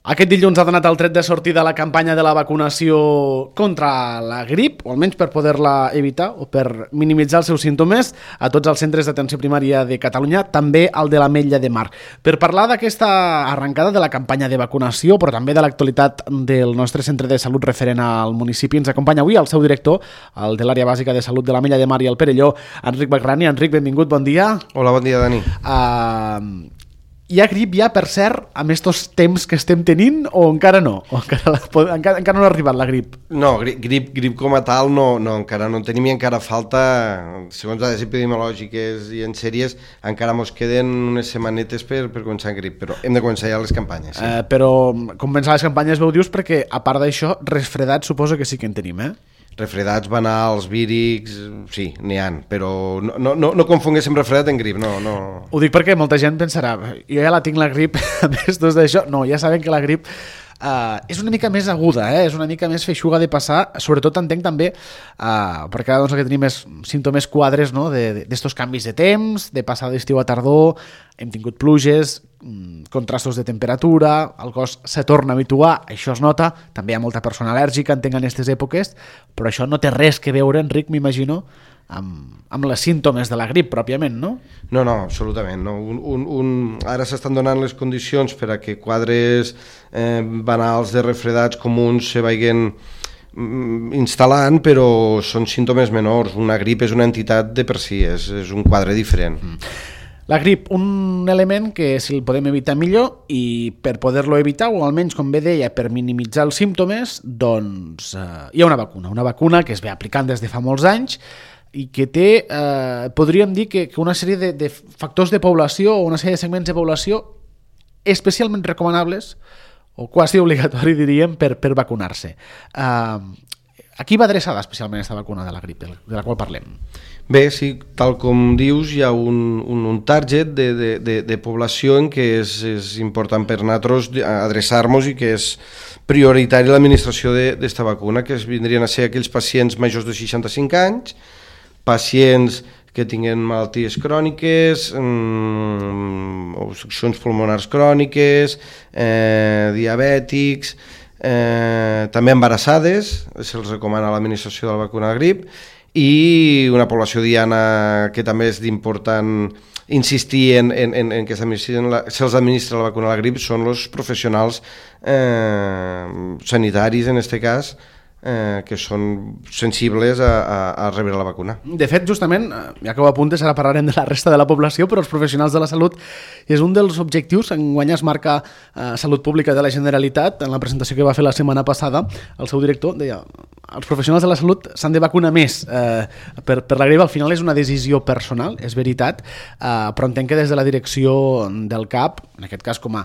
Aquest dilluns ha donat el tret de sortida la campanya de la vacunació contra la grip, o almenys per poder-la evitar o per minimitzar els seus símptomes a tots els centres d'atenció primària de Catalunya, també al de l'Ametlla de Mar. Per parlar d'aquesta arrencada de la campanya de vacunació, però també de l'actualitat del nostre centre de salut referent al municipi, ens acompanya avui el seu director, el de l'àrea bàsica de salut de l'Ametlla de Mar i el Perelló, Enric Bagrani. Enric, benvingut, bon dia. Hola, bon dia, Dani. Hi ha grip ja, per cert, amb estos temps que estem tenint, o encara no? O encara no ha arribat la grip? No, grip com a tal no, encara no en tenim i encara falta, segons dades epidemiològiques i en sèries, encara mos queden unes setmanetes per començar grip, però hem de començar ja les campanyes. Sí. Però començar les campanyes veu dius perquè, a part d'això, resfredats suposo que sí que en tenim, Refredats, banals, vírics, sí, n'hi ha, però no confonguéssim refredat en grip, no. Ho dic perquè molta gent pensarà, jo ja la tinc la grip, a més d'això, no, ja saben que la grip és una mica més aguda, és una mica més feixuga de passar, sobretot entenc també perquè doncs, el que tenim és símptomes quadres, no? d'estos canvis de temps, de passar d'estiu a tardor, hem tingut pluges, contrastos de temperatura, el cos se torna a habituar, això es nota, també hi ha molta persona al·lèrgica, entenc, en aquestes èpoques, però això no té res que veure, Enric, m'imagino, amb les símptomes de la grip pròpiament, no? No, absolutament. No. Ara s'estan donant les condicions per a que quadres banals de refredats comuns se vagin instal·lant, però són símptomes menors. Una grip és una entitat de per si, és un quadre diferent. La grip, un element que si el podem evitar millor, i per poder-lo evitar, o almenys, com bé deia, per minimitzar els símptomes, doncs hi ha una vacuna que es ve aplicant des de fa molts anys i que té, podríem dir que una sèrie de factors de població o una sèrie de segments de població especialment recomanables o quasi obligatori, diríem, per vacunar-se. A qui va adreçada especialment aquesta vacuna de la grip, de la qual parlem? Bé, sí, tal com dius, hi ha un target de població en què és important per nosaltres adreçar-nos i que és prioritari l'administració d'esta vacuna, que vindrien a ser aquells pacients majors de 65 anys, pacients que tinguen malalties cròniques, obstruccions pulmonars cròniques, diabètics, també embarassades, se'ls recomana l'administració de la vacuna de grip, i una població diana que també és d'important insistir en que se'ls administra la vacuna de la grip són els professionals sanitaris, en aquest cas, que són sensibles a rebre la vacuna. De fet, justament, ja que ho apuntes, ara parlarem de la resta de la població, però els professionals de la salut és un dels objectius. Enguany es marca Salut Pública de la Generalitat. En la presentació que va fer la setmana passada, el seu director deia els professionals de la salut s'han de vacunar més per la grip. Al final és una decisió personal, és veritat, però entenc que des de la direcció del CAP, en aquest cas com a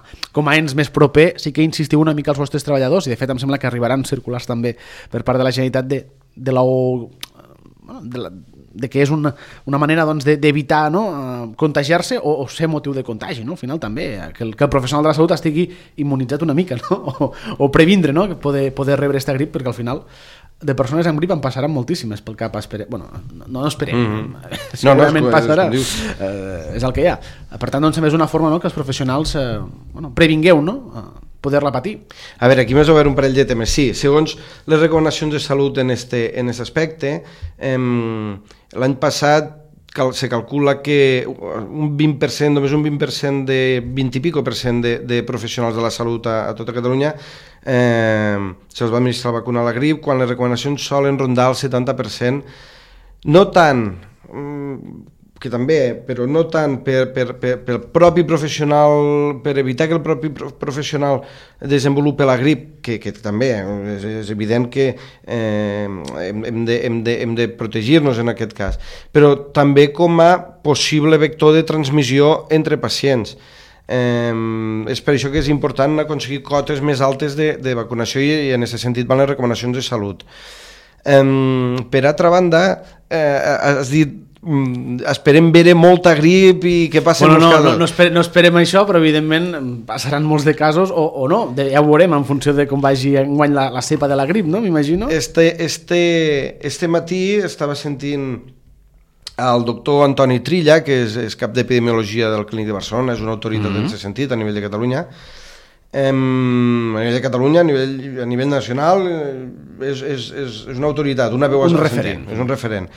ens més proper, sí que insistiu una mica als vostres treballadors, i de fet em sembla que arribaran circulars també per part de la Generalitat de que és una manera doncs, d'evitar contagiar-se o ser motiu de contagi, no? Al final també, que el professional de la salut estigui immunitzat una mica, no? o previndre, no? Que poder rebre aquesta grip, perquè al final de persones amb grip en passaran moltíssimes pel cap. No esperem, segurament passarà, és el que hi ha. Per tant, doncs, és una forma, no?, que els professionals previngueu, no?, poder-la patir. A veure, aquí m'has obert un parell de temes. Sí, segons les recomanacions de salut en aquest aspecte, l'any passat se calcula que un 20%, només un 20% de 20 i pico % de professionals de la salut a tota Catalunya se'ls va administrar la vacuna a la grip, quan les recomanacions solen rondar el 70%, no tant, que també, però no tant pel propi professional, per evitar que el propi professional desenvolupi la grip, que també és evident que hem de protegir-nos en aquest cas, però també com a possible vector de transmissió entre pacients. És per això que és important aconseguir cotes més altes de vacunació i en aquest sentit van les recomanacions de salut. Per altra banda, has dit esperem veure molta grip i que passen molts casos. No esperem això, però evidentment passaran molts de casos o no, ja ho veurem en funció de com vagi enguany la cepa de la grip, no? M'imagino. Este matí estava sentint el doctor Antoni Trilla, que és cap d'epidemiologia del Clínic de Barcelona, és una autoritat en aquest sentit a nivell de Catalunya, a nivell de Catalunya, a nivell nacional, és una autoritat, una veu a sentir, és un referent.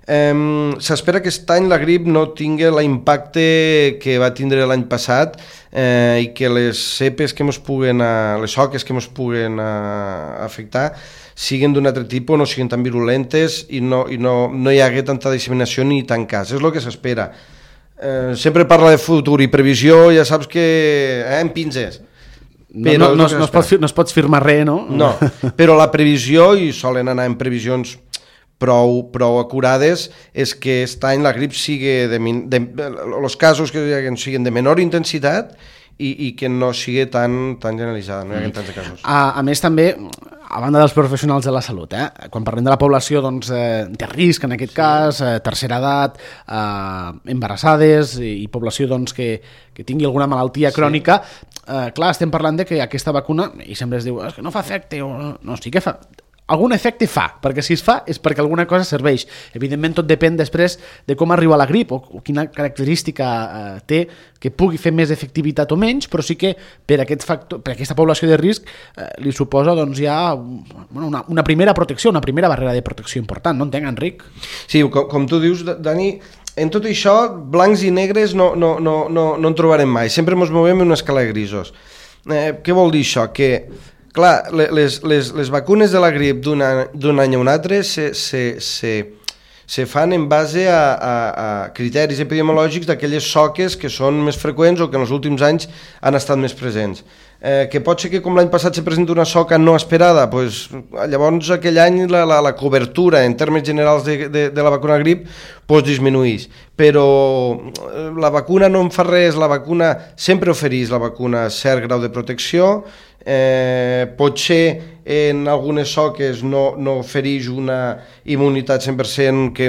S'espera que aquest any la grip no tingui l'impacte que va tindre l'any passat i que les cepes que ens puguen, les soques que ens puguen afectar siguin d'un altre tipus, no siguin tan virulentes i no hi hagi tanta disseminació ni tant cas. És el que s'espera. Sempre parla de futur i previsió, ja saps que en pinces. No es pots firmar res, no? No, però la previsió, i solen anar en previsions prou acurades, és que aquest any la grip sigui els casos que siguin de menor intensitat i que no sigui tan generalitzada, no hi hagi tants casos. A més, també, a banda dels professionals de la salut, quan parlem de la població de risc, en aquest cas, tercera edat, embarassades i població que tingui alguna malaltia crònica, clar, estem parlant de que aquesta vacuna, i sempre es diu que no fa efecte, no, sí que fa... Algun efecte fa, perquè si es fa és perquè alguna cosa serveix. Evidentment tot depèn després de com arriba la grip o quina característica té que pugui fer més efectivitat o menys, però sí que per aquesta població de risc li suposa ja una primera protecció, una primera barrera de protecció important, no entenc, Enric? Sí, com tu dius, Dani, en tot això, blancs i negres no en trobarem mai, sempre ens movem en una escala de grisos. Què vol dir això? Que clar, les vacunes de la grip d'un any a un altre se fan en base a criteris epidemiològics d'aquelles soques que són més freqüents o que en els últims anys han estat més presents. Que pot ser que com l'any passat se presenta una soca no esperada, doncs, llavors aquell any la cobertura en termes generals de la vacuna grip disminueix, però la vacuna no en fa res, la vacuna sempre ofereix la vacuna cert grau de protecció, potser en algunes soques no ofereix una immunitat 100% que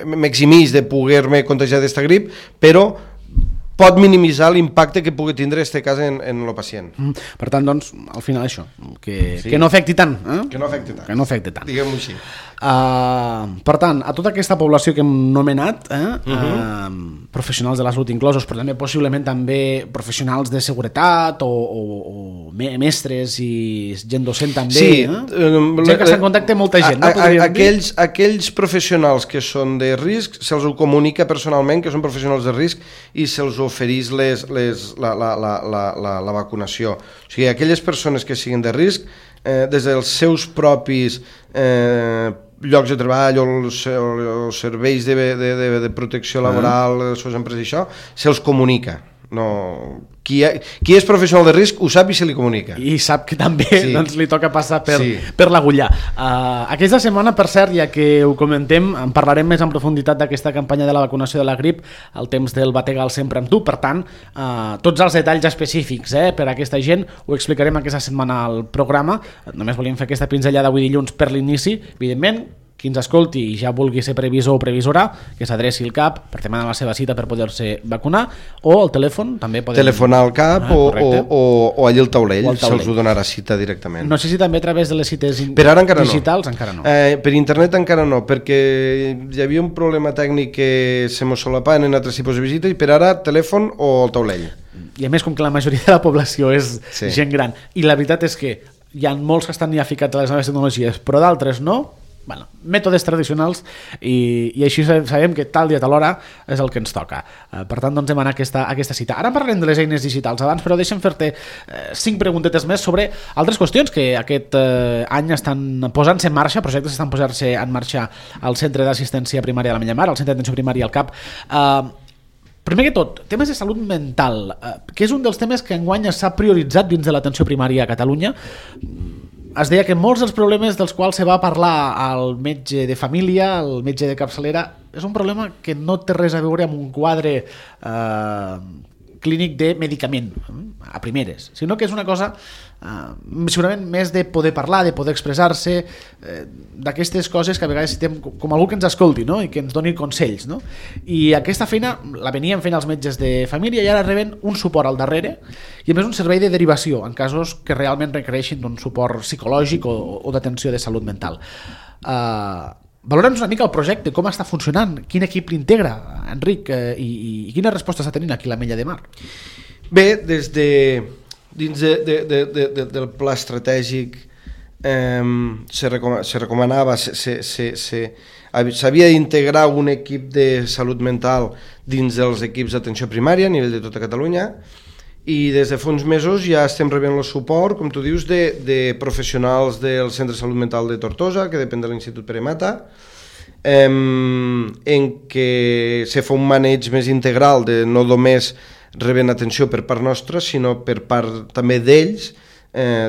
m'eximeix de poder-me contagiar d'esta grip, però pot minimitzar l'impacte que pugui tindre aquest cas en el pacient. Per tant, doncs, al final això, que no afecti tant. Que no afecti tant. Diguem-ho així. Per tant, a tota aquesta població que hem nomenat, professionals de la salut inclosos, però també possiblement també professionals de seguretat o mestres i gent docent també. Sí. Gent que està en contacte amb molta gent. Aquells professionals que són de risc se'ls ho comunica personalment que són professionals de risc i se'ls ofereix la vacunació. O sigui, aquelles persones que siguin de risc, des dels seus propis llocs de treball o els serveis de protecció laboral, les seves empreses i això, se'ls comunica. Qui és professional de risc ho sap i se li comunica. I sap que també li toca passar per l'agullà. Aquesta setmana, per cert, ja que ho comentem, en parlarem més en profunditat d'aquesta campanya de la vacunació de la grip, el temps del Bategal sempre amb tu, per tant, tots els detalls específics per a aquesta gent ho explicarem aquesta setmana al programa. Només volíem fer aquesta pinzellada avui dilluns per l'inici, evidentment. Qui ens escolti i ja vulgui ser previsor o previsora, que s'adreci al CAP per demanar la seva cita per poder-se vacunar, o al telèfon també podem... Telefonar al CAP o allí al taulell, se'ls ho donarà cita directament. No sé si també a través de les cites digitals encara no. Per internet encara no, perquè hi havia un problema tècnic que se mos solapaven en altres tipus de visita i per ara telèfon o al taulell. I a més, com que la majoria de la població és gent gran, i la veritat és que hi ha molts que estan ja ficats a les noves tecnologies, però d'altres no, mètodes tradicionals i així sabem que tal dia tal hora és el que ens toca. Per tant, doncs demanar aquesta cita. Ara parlarem de les eines digitals abans, però deixa'm fer-te 5 preguntetes més sobre altres qüestions que aquest any estan posant-se en marxa, projectes estan posant-se en marxa al Centre d'Assistència Primària de la Millamar, al Centre d'Atenció Primària al CAP. Primer que tot, temes de salut mental, que és un dels temes que enguany s'ha prioritzat dins de l'atenció primària a Catalunya. Es deia que molts dels problemes dels quals se va parlar al metge de família, al metge de capçalera, és un problema que no té res a veure amb un quadre clínic de medicament a primeres, sinó que és una cosa segurament més de poder parlar, de poder expressar-se, d'aquestes coses que a vegades necessitem com algú que ens escolti, no? I que ens doni consells, no? I aquesta feina la venien fent els metges de família i ara reben un suport al darrere i a més un servei de derivació en casos que realment requereixin un suport psicològic o d'atenció de salut mental. Valora'ns una mica el projecte, com està funcionant, quin equip l'integra, Enric, i quines respostes està tenint aquí l'Ametlla de Mar? Bé, des dins del pla estratègic se recomanava, s'havia d'integrar un equip de salut mental dins dels equips d'atenció primària a nivell de tota Catalunya, i des de fa uns mesos ja estem rebent el suport, com tu dius, de professionals del Centre de Salut Mental de Tortosa, que depèn de l'Institut Pere Mata, en què se fa un maneig més integral de no només rebent atenció per part nostra, sinó per part també d'ells,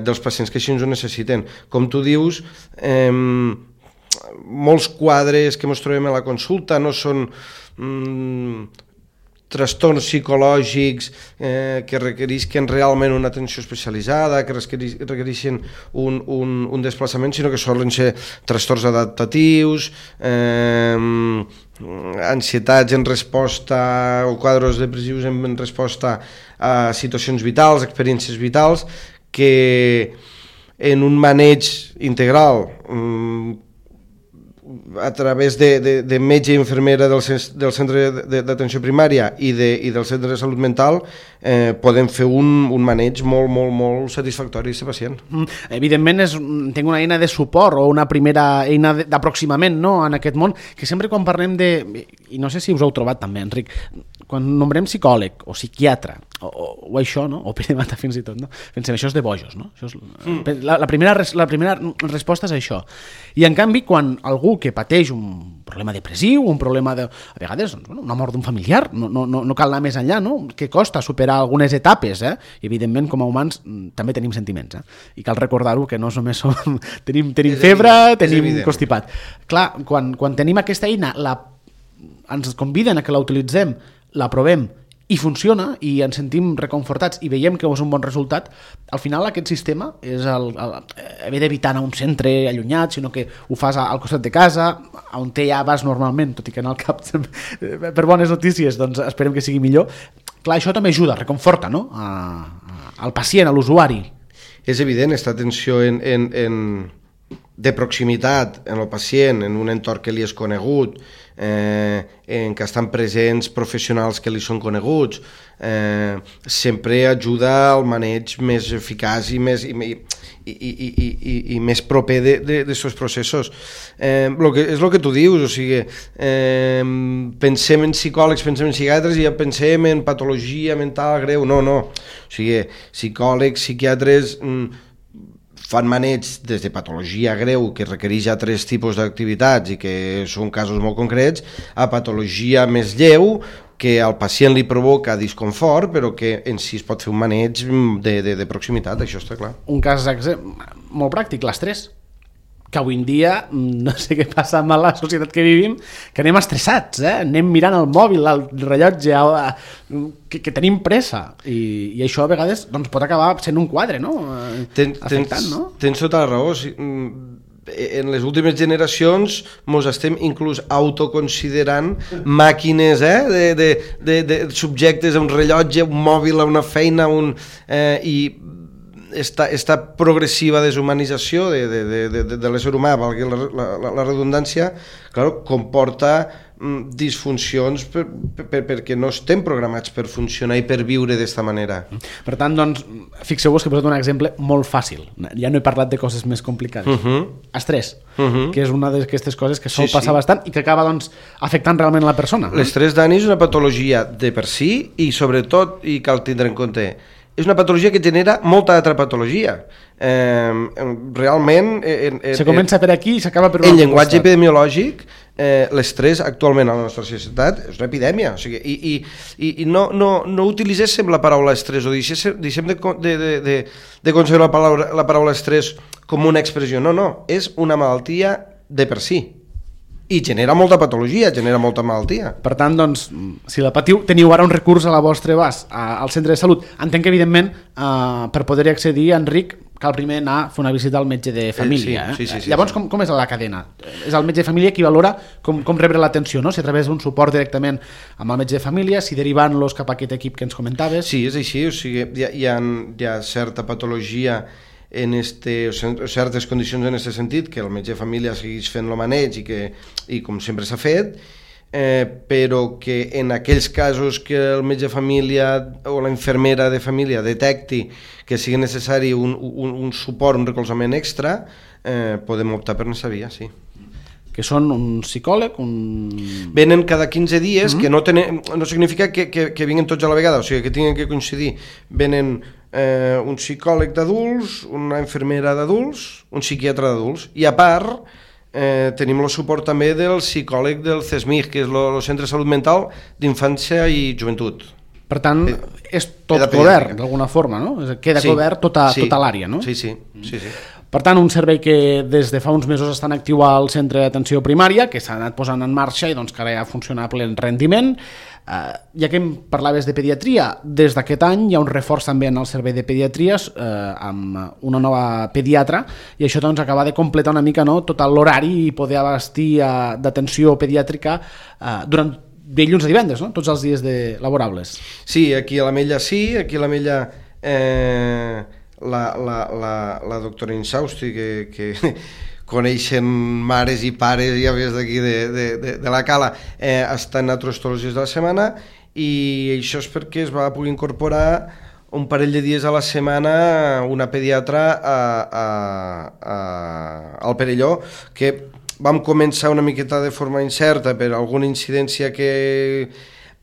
dels pacients que així ens ho necessiten. Com tu dius, molts quadres que ens trobem a la consulta no són trastorns psicològics que requereixen realment una atenció especialitzada, que requereixen un desplaçament, sinó que solen ser trastorns adaptatius, ansietats en resposta o quadres depressius en resposta a situacions vitals, experiències vitals, que en un maneig integral a través de metge i infermera del centre d'atenció primària i del centre de salut mental podem fer un maneig molt satisfactori d'aquest pacient. Evidentment tinc una eina de suport o una primera eina d'aproximament, no?, en aquest món, que sempre quan parlem i no sé si us heu trobat també, Enric, quan nombrem psicòleg o psiquiatre o això, no?, o Pere Mata fins i tot, no?, pensem, això és de bojos, no? Això és, la primera resposta és això. I en canvi, quan algú que pateix un problema depressiu, un problema a vegades una mort d'un familiar, no cal anar més enllà, no?, que costa superar algunes etapes, i evidentment com a humans també tenim sentiments, i cal recordar-ho, que no només tenim febre, tenim constipat. Clar, quan tenim aquesta eina, ens conviden a que la utilitzem, la provem i funciona i ens sentim reconfortats i veiem que és un bon resultat, al final aquest sistema és haver d'evitar anar a un centre allunyat, sinó que ho fas al costat de casa, on ja vas normalment, tot i que en el cap per bones notícies, doncs esperem que sigui millor. Clar, això també ajuda, reconforta, no?, al pacient, a l'usuari. És evident, aquesta atenció de proximitat en el pacient, en un entorn que li és conegut, en què estan presents professionals que li són coneguts, sempre ajuda al maneig més eficaç i més proper d'aquests processos. És el que tu dius, o sigui, pensem en psicòlegs, pensem en psiquiatres i ja pensem en patologia mental greu. No. O sigui, psicòlegs, psiquiatres fan maneig des de patologia greu que requereix altres tipus d'activitats i que són casos molt concrets, a patologia més lleu que al pacient li provoca disconfort, però que en si es pot fer un maneig de proximitat, això està clar. Un cas molt pràctic, l'estrès, que avui en dia, no sé què passa amb la societat que vivim, que anem estressats, anem mirant el mòbil, el rellotge, que tenim pressa, i això a vegades doncs, pot acabar sent un quadre, no? Afectant, no? Tens tota la raó. En les últimes generacions ens estem inclús autoconsiderant màquines de subjectes a un rellotge, un mòbil, a una feina, i esta progressiva deshumanització de l'ésser humà, valgui la redundància, claro, comporta disfuncions perquè no estem programats per funcionar i per viure d'esta manera. Per tant, doncs, fixeu-vos que he posat un exemple molt fàcil. Ja no he parlat de coses més complicades. Estrès, que és una d'aquestes coses que sol passar bastant i que acaba doncs, afectant realment la persona. L'estrès, Dani, és una patologia de per si i sobretot, i cal tindre en compte, és una patologia que genera molta altra patologia. Realment... Se comença per aquí i s'acaba per un altre costat. En llenguatge epidemiològic, l'estrès actualment a la nostra societat és una epidèmia. O sigui, i no utilitzéssim la paraula estrès o deixem de concebre la paraula estrès com una expressió. No, és una malaltia de per si. I genera molta patologia, genera molta malaltia. Per tant, doncs, si la patiu, teniu ara un recurs a la vostra abast al centre de salut. Entenc que, evidentment, per poder-hi accedir, Enric, cal primer anar a fer una visita al metge de família. Sí. Llavors, com és la cadena? És el metge de família qui valora com rebre l'atenció, no? Si a través d'un suport directament amb el metge de família, si derivant-los cap a aquest equip que ens comentaves. Sí, és així. O sigui, hi ha certa patologia certes condicions en aquest sentit, que el metge de família segueix fent el maneig i com sempre s'ha fet, però que en aquells casos que el metge de família o la infermera de família detecti que sigui necessari un suport, un recolzament extra, podem optar per aquesta via, sí. Que són un psicòleg, Venen cada 15 dies, que no significa que vinguin tots a la vegada, o sigui, que tinguin que coincidir. Venen un psicòleg d'adults, una infermera d'adults, un psiquiatre d'adults, i a part tenim el suport també del psicòleg del CESMIG, que és el Centre de Salut Mental d'Infància i Joventut. Per tant, és tot cobert, d'alguna forma, no? Queda cobert tota l'àrea, no? Sí. Per tant, un servei que des de fa uns mesos està en actiu al centre d'atenció primària, que s'ha anat posant en marxa i doncs que ara ja funciona a ple rendiment. Ja que em parlaves de pediatria, des d'aquest any hi ha un reforç també en el servei de pediatries amb una nova pediatra, i això doncs acaba de completar una mica, no, tot l'horari i poder abastir d'atenció pediàtrica durant dilluns a divendres, no? Tots els dies laborables. Sí, aquí a l'Ametlla sí, aquí a l'Ametlla la doctora Insausti, que coneixen mares i pares, ja ves d'aquí de la Cala, està en nosaltres tots els dies de la setmana, i això és perquè es va poder incorporar un parell de dies a la setmana una pediatra al Perelló, que vam començar una miqueta de forma incerta per alguna incidència que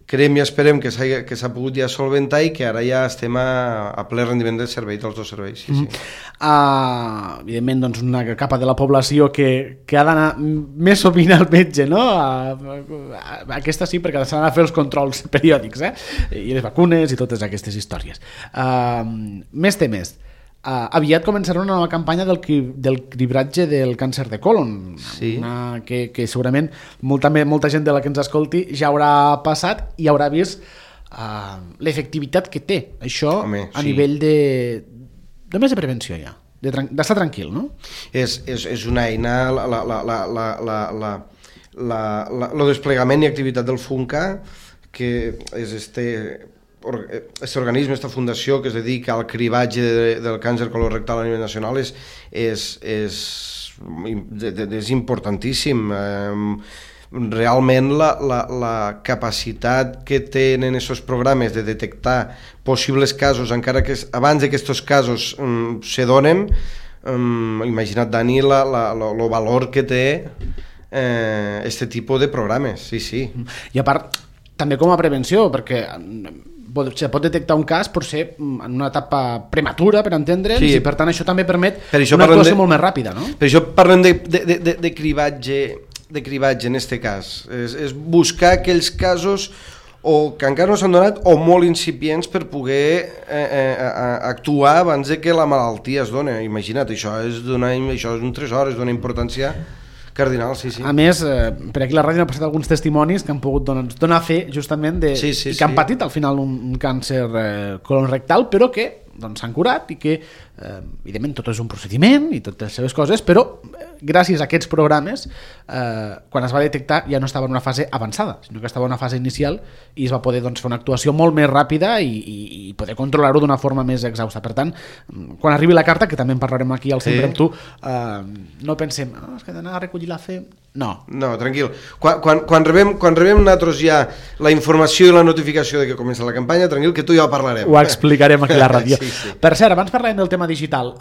creiem i esperem que s'ha pogut ja solventar, i que ara ja estem a ple rendiment del servei, dels dos serveis. Sí. Evidentment, doncs, una capa de la població que ha d'anar més sovint al metge, no? Aquesta sí, perquè s'han de fer els controls periòdics, i les vacunes i totes aquestes històries. Més temes. Aviat començarà una nova campanya del cribratge del càncer de còlon, que segurament molta gent de la que ens escolti ja haurà passat i haurà vist l'efectivitat que té això. A nivell de més de prevenció, ja d'estar tranquil, no? És una eina, el desplegament i activitat del FUNCA, que és aquest organisme, aquesta fundació que es dedica al cribatge del càncer colorectal a nivell nacional, és importantíssim. Realment la capacitat que tenen aquests programes de detectar possibles casos, encara que abans d'aquests casos se donen, imagina't, Dani, el valor que té aquest tipus de programes. Sí. I a part, també com a prevenció, perquè se pot detectar un cas per ser en una etapa prematura, per entendre'ns, i per tant això també permet una actuació molt més ràpida, no? Per això parlem de cribatge en aquest cas. És buscar aquells casos o que encara no s'han donat o molt incipients per poder actuar abans de que la malaltia es doni. Imagina't, això és un tresor, és d'una importància cardinal, sí. A més, per aquí a la ràdio han passat alguns testimonis que han pogut donar fe justament i que han patit al final un càncer colorectal, però que s'han curat i que, evidentment, tot és un procediment i totes les seves coses, però gràcies a aquests programes, quan es va detectar ja no estava en una fase avançada, sinó que estava en una fase inicial i es va poder fer una actuació molt més ràpida i poder controlar-ho d'una forma més exhausta. Per tant, quan arribi la carta, que també en parlarem aquí al Sempre amb tu, no pensem, és que d'anar a recollir la fe... No, tranquil. Quan rebem nosaltres ja la informació i la notificació de que comença la campanya, tranquil, que tu ja ho parlarem. Ho explicarem aquí a la ràdio. Sí. Per cert, abans parlàvem del tema digital.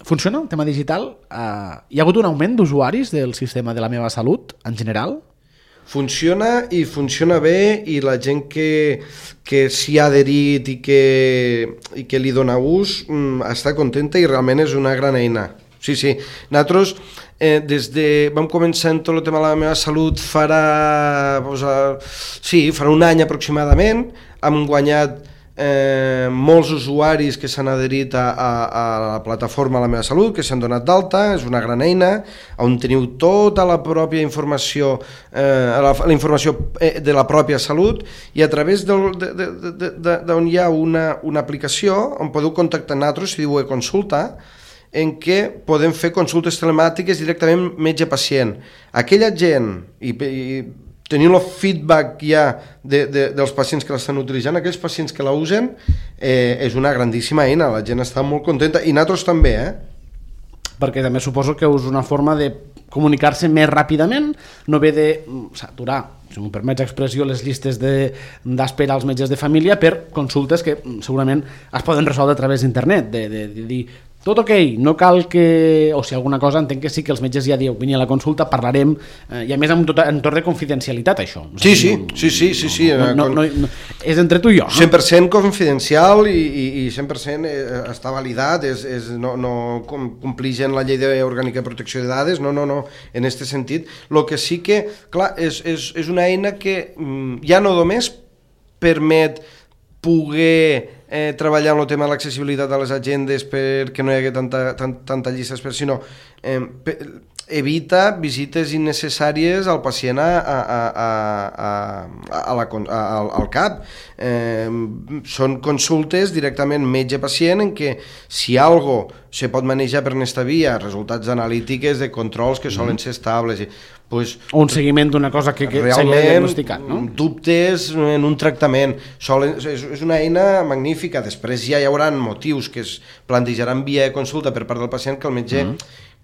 Funciona el tema digital? Hi ha hagut un augment d'usuaris del sistema de La Meva Salut, en general? Funciona i funciona bé, i la gent que s'hi ha adherit i que li dona ús està contenta i realment és una gran eina. Sí. Nosaltres vam començar en tot el tema de La Meva Salut farà un any aproximadament. Hem guanyat molts usuaris que s'han adherit a la plataforma La Meva Salut, que s'han donat d'alta. És una gran eina on teniu tota la pròpia informació, la informació de la pròpia salut, i a través d'on hi ha una aplicació on podeu contactar nosaltres si diu consulta, en què podem fer consultes telemàtiques directament metge-pacient. Aquella gent, i tenint el feedback ja dels pacients que l'estan utilitzant, aquells pacients que la usen, és una grandíssima eina, la gent està molt contenta, i nosaltres també, perquè també suposo que és una forma de comunicar-se més ràpidament, no ve de saturar, si m'ho permets l'expressió, les llistes d'espera als metges de família per consultes que segurament es poden resoldre a través d'internet, de dir tot ok, no cal que... O si alguna cosa, entenc que sí que els metges ja diuen, vini a la consulta, parlarem, i a més amb tot entorn de confidencialitat, això. Sí. És entre tu i jo. 100% confidencial i 100% està validat, no complix la llei orgànica de protecció de dades, no, en aquest sentit. El que sí que, clar, és una eina que ja no només permet poder treballar amb el tema de l'accessibilitat a les agendes perquè no hi hagi tanta llista d'espera, sinó evita visites innecessàries al pacient al CAP. Són consultes directament metge-pacient en què si algo se pot manejar per aquesta via, resultats analítiques de controls que solen ser estables, pues, o un seguiment d'una cosa que s'hagi diagnosticat, no? Dubtes en un tractament, és una eina magnífica. Després ja hi haurà motius que es plantejaran via consulta per part del pacient que el metge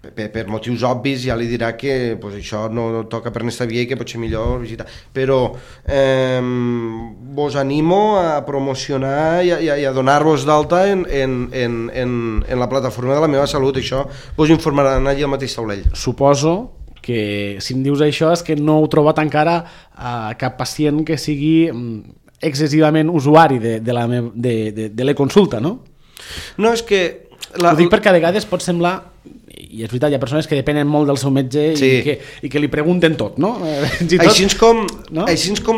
per motius obvis ja li dirà que pues, això no toca per aquesta via i que pot ser millor visitar, però vos animo a promocionar i a donar-vos d'alta en la plataforma de La Meva Salut. Això vos informaran allà al mateix taulell. Suposo que si em dius això és que no heu trobat encara cap pacient que sigui excessivament usuari de l'e-consulta, no? No, és que... Ho dic perquè a vegades pot semblar, i és veritat, hi ha persones que depenen molt del seu metge i que li pregunten tot, no? Així com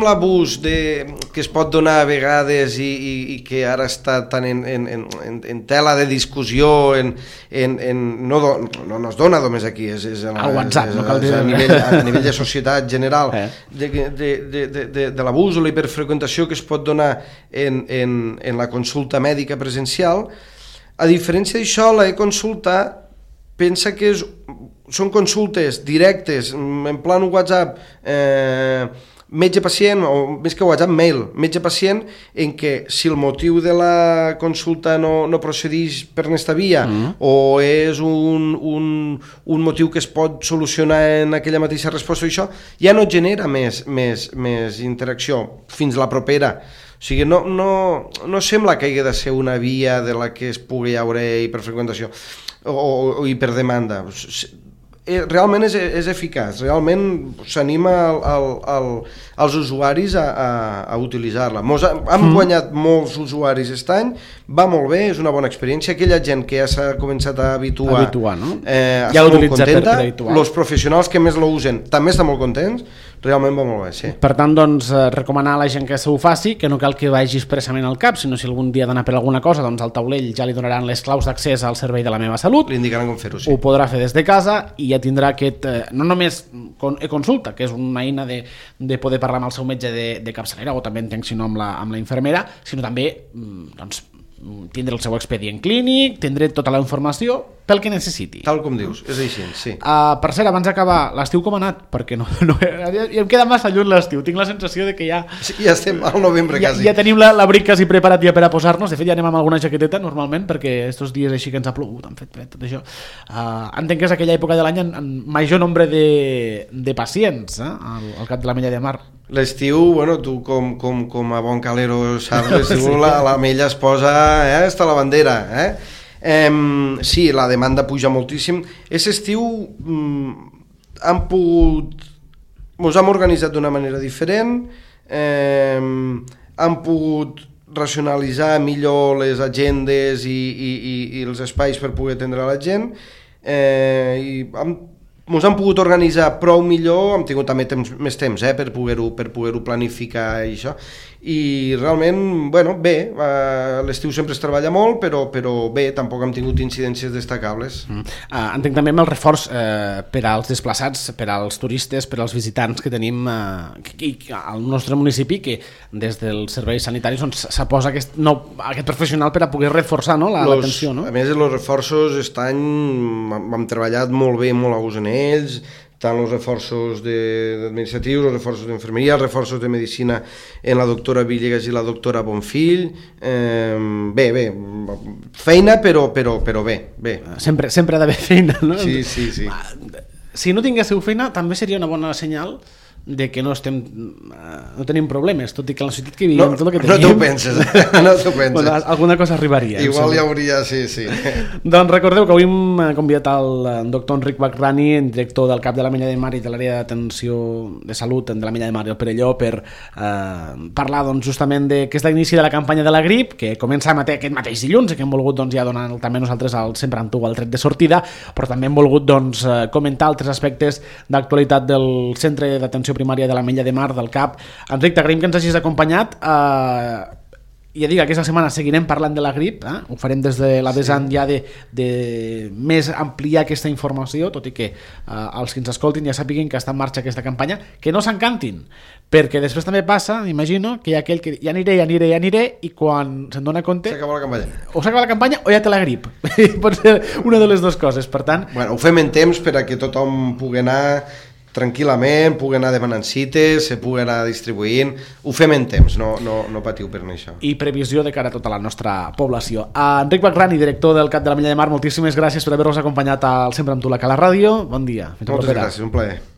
l'abús que es pot donar a vegades i que ara està tan en tela de discussió, no es dona només aquí, és a WhatsApp, no cal dir a nivell de societat general, de l'abús o la hiperfreqüentació que es pot donar en la consulta mèdica presencial. A diferència d'això, l'e-consulta pensa que són consultes directes, en plan WhatsApp, metge-pacient, o més que WhatsApp, mail, metge-pacient, en què si el motiu de la consulta no procedeix per aquesta via o és un motiu que es pot solucionar en aquella mateixa resposta, això ja no genera més interacció fins la propera. O sigui, no sembla que hagi de ser una via de la que es pugui haure hiperfreqüentació o hiperdemanda. Realment és eficaç, realment s'anima als usuaris a utilitzar-la. Hem guanyat molts usuaris aquest any, va molt bé, és una bona experiència. Aquella gent que ja s'ha començat a habituar no? Està molt contenta. Els professionals que més l'usen també estan molt contents, realment va molt bé, sí. Per tant, doncs, recomanar a la gent que s'ho faci, que no cal que vagi expressament al CAP, sinó si algun dia ha d'anar per alguna cosa, doncs al taulell ja li donaran les claus d'accés al servei de La Meva Salut. Li indicaran com fer-ho, sí. Ho podrà fer des de casa i ja tindrà aquest, no només e-consulta, que és una eina de poder parlar amb el seu metge de capçalera, o també entenc si no amb la infermera, sinó també doncs, tindre el seu expedient clínic, tindre tota la informació pel que necessiti. Tal com dius, és així, sí. Per cert, abans d'acabar, l'estiu com ha anat? Perquè em queda massa lluny l'estiu, tinc la sensació de que ja... Sí, ja estem al novembre quasi. Ja tenim l'abric quasi preparat ja per a posar-nos, de fet ja anem amb alguna jaqueteta normalment, perquè estos dies així que ens ha plogut, han fet fred, tot això. Entenc que és aquella època de l'any amb major nombre de pacients al cap de l'Ametlla de Mar. L'estiu, bueno, tu com a bon calero saps, l'estiu l'Ametlla es posa, està la bandera, sí, la demanda puja moltíssim. Aquest estiu ens hem organitzat d'una manera diferent, hem pogut racionalitzar millor les agendes i els espais per poder atendre la gent, i ens hem pogut organitzar prou millor, hem tingut també més temps per poder-ho planificar i això, i realment, bueno, bé, l'estiu sempre es treballa molt, però bé, tampoc hem tingut incidències destacables. Entenc també amb el reforç per als desplaçats, per als turistes, per als visitants que tenim al nostre municipi, que des dels serveis sanitaris s'ha posat aquest professional per a poder reforçar l'atenció. No? A més, els reforços aquest any hem treballat molt bé, molt a gust en ells, tant els reforços administratius, els reforços d'infermeria, els reforços de medicina en la doctora Villegas i la doctora Bonfill. Bé, feina, però bé. Sempre ha d'haver feina, no? Sí. Si no tinguéssiu feina, també seria una bona senyal de que no tenim problemes, tot i que en la societat que vivim, tot el que tenim... No t'ho penses. Bueno, alguna cosa arribaria. Igual hi hauria, sí. Doncs recordeu que avui hem convidat el doctor Enric Bagrani, director del CAP de la Mella de Mar i de l'àrea d'atenció de salut de la Mella de Mar i el Perelló, per parlar justament de que és l'inici de la campanya de la grip, que comença aquest mateix dilluns, i que hem volgut ja donar també nosaltres sempre amb tu el tret de sortida, però també hem volgut comentar altres aspectes d'actualitat del Centre d'Atenció Primària de la Mella de Mar del CAP. Enric, t'agraïm que ens hagis acompanyat. Ja dic, aquesta setmana seguirem parlant de la grip, ho farem des de la vessant ja de més ampliar aquesta informació, tot i que els que ens escoltin ja sàpiguen que està en marxa aquesta campanya, que no s'encantin, perquè després també passa, imagino, que hi ha aquell que ja aniré, i quan se'n dona compte... S'acaba la campanya. O s'acaba la campanya o ja té la grip. Pot ser una de les dues coses, per tant... Bueno, ho fem en temps per a que tothom pugui anar tranquil·lament, pugui anar demanant cites, se pugui anar distribuint, ho fem en temps, no patiu per això. I previsió de cara a tota la nostra població. Enric Bagrani, director del CAP de la Mella de Mar, moltíssimes gràcies per haver-nos acompanyat al Sempre amb tu, la Cala Ràdio. Bon dia. Moltes gràcies, un plaer.